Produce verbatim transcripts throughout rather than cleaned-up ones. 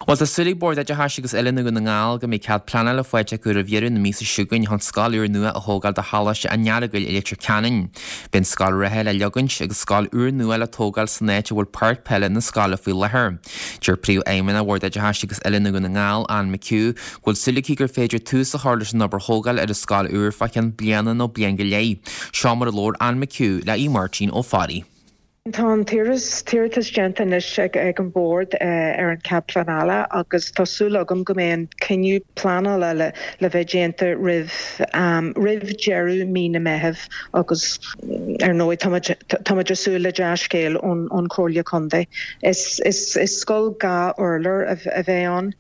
Bhuel tá súil ag Bord Oideachais agus Oiliúna Dhún na nGall go mbeidh cead pleanála faighte acu roimh dheireadh na míosa seo chugainn chun scoil úr nua a thógáil do Choláiste an Earagail i Leitir Ceanainn. Beidh an scoil reatha le leagaint agus scoil úr nua le tógáil san áit a bhfuil páirc peile na scoile faoi láthair. Deir Príomhfheidhmeannach Bhord Oideachais agus Oiliúna Dhún na nGall Ann McHugh go bhfuil súil aici gur féidir tús a chur leis an obair thógáil ar an scoil úr fá cheann bliana nó bliain go leith. Seo mar a labhair Ann McHugh le í Máirtín Ó Fearraigh. Tá an t-iarratas déanta anois ag ag an bord ar an cead pleanála agus tá súil agam go mbeidh an cinneadh pleanála le le bheith déanta roimh roimh deireadh mí na Meitheamh agus ar ndóigh táimid táimid ag súil le dea-scéal ón ón Chomhairle Contae. Is is is scoil dhá urlár a bheidh ann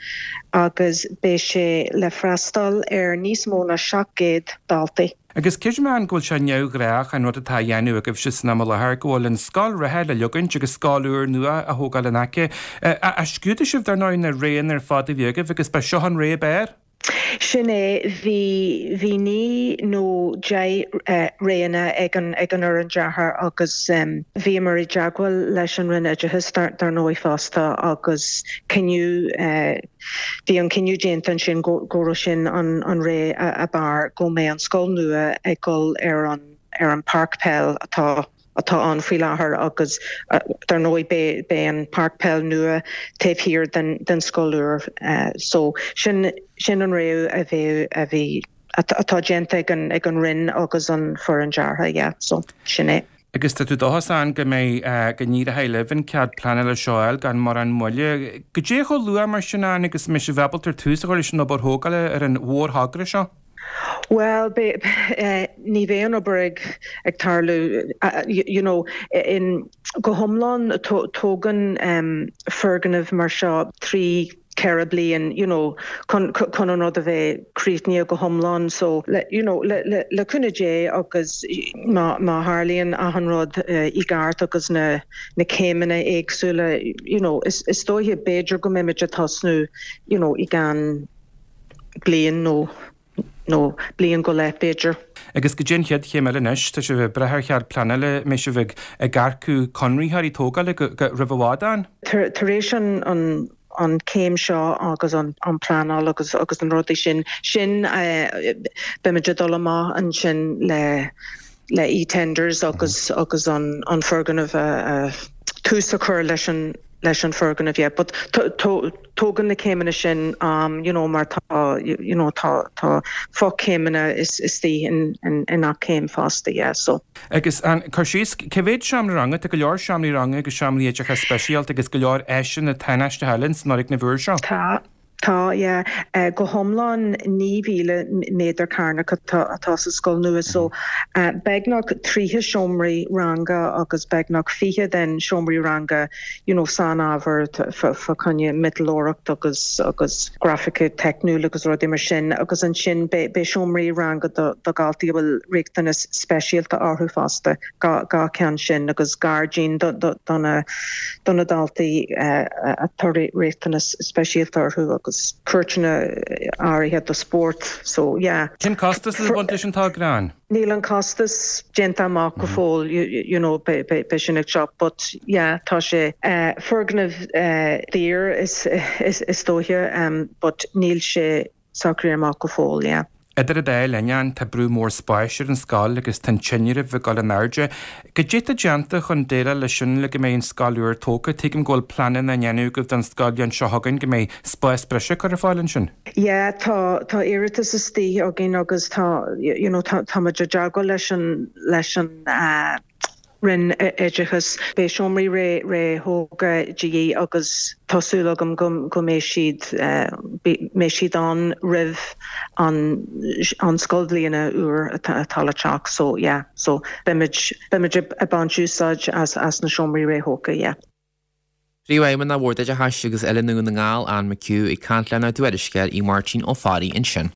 agus beidh sé le freastal ar níos mó ná seacht gcéad daltaí. Agus creidim go bhfuil sé neamhghnách an rud atá á dhéanamh agaibhse san am i láthair go bhfuil an scoil reatha le leagaint agus scoil úr nua á thógáil in aice. A scrúdaigh sibh dar ndóigh na roghanna ar fad a bhí agaibh agus ba seo an rogha ab fhearr? Sin é bhí bhí naoi nó deich roghanna ag an ag an fhoireann deartha agus bhíomar i dteagmháil leis an Roinn Oideachais dar dar ndóigh fosta agus cinneadh Bhí an cinneadh déanta ansin go go raibh sin an an rogha ab fhearr go mbeidh an scoil nua ag dul ar an ar an páirc peil atá atá ann faoi láthair agus dar ndóigh beidh beidh an páirc peil nua taobh thiar den den scoil úr so sin sin an rogha a bheidh a bhí atá déanta ag an ag an Roinn agus an foireann deartha yeah so sin é. Agus tá tú dóchasach go mbeidh go n-éireoidh libh an cead pleanála seo a fháil gan mórán moille. Goidé chomh luath mar sin Ann agus mbeidh sibh ábalta tús a chur leis an obair thógála ar an mhórthogra seo? Well ní bheidh an obair ag ag tarlú you know in go hiomlán tógann foirgneamh mar seo trí ceithre bliain you know chun chun an rud a bheith críochnaithe go hiomlán so le you know le le le cúnamh Dé agus má má tharlaíonn achan rud i gceart agus na na céimeanna éagsúla you know is is dóiche b'fhéidir go mbeimid ag tosnú you know i gceann bliain nó nó bliain go leith b'fhéidir. Agus goidé an chéad chéim eile anois, tá sibh ag brath ar chead pleanála, mbeidh sibh ag ag earcú conraitheoirí tógála go go roimh i bhfad Ann? Tar tar éis an an an céim seo agus an an pleanáil agus agus an rudaí sin sin beimid ag dul amach ansin le le e-tenders agus agus an an foirgneamh a a tús a chur leis an leis an foirgneamh yeah but tógann na céimeanna sin um you know mar tá you know tá tá fochéimeanna is istigh in in in gach céim fosta yeah so. Agus an cur síos cé mhéad seomra ranga tá go leor seomraí ranga agus seomraí oideachais speisialta agus go leor áiseanna tánaisteacha eile san fhoirgneamh úr seo. Tá Tá yeah uh, go hiomlán naoi míle méadar cearnach atá atá sa scoil nua so uh, beagnach tríocha seomraí ranga agus beagnach fiche den seomraí ranga you know sainábhar fá choinne miotalóireacht agus agus grafaice teicniúil agus rudaí mar sin agus ansin beidh seomraí ranga do do dhaltaí bhfuil riachtanas speisialta orthu fosta dhá cheann sin agus gairdín do do do na do na daltaí uh, atá riachtanas speisialta orthu agus cúirteanna áirithe do spórt so yeah. Cén costas a bhain leis an togra Ann? Níl an costas déanta amach go fóill you, you know be, be, be sin ag seo but yeah tá sé uh, foirgneamh uh, daor is, is, is dóiche um, but níl sé socraithe amach go fóill yeah. Idir an dá linn tá brú mór spáis ar an scoil agus tá an tinreamh ag dul in airde. Goidé atá déanta chun déileáil leis sin le go mbeidh an scoil úr tógtha, tuigim go bhfuil pleananna á ndéanamh agaibh don scoil seo chugainn go mbeidh spás breise curtha ar fáil ansin. Yeah, tá tá iarratas istigh againn agus tá you know tá tá muid ag teagmháil leis an leis an uh, Roinn Oideachais beidh seomraí ré ré thógtha de dhíth agus tá súil agam go go mbeidh siad uh, mbeidh siad ann roimh an an scoilbhliain úr atá le teacht so yeah so beimid beimid ag baint úsáid as as na seomraí ré thógtha yeah. Príomhfheidhmeannach Bhord Oideachais agus Oiliúna Dhún na nGall Ann McHugh ag caint lenár dtuairisceoir í Máirtín Ó Fearraigh ansin.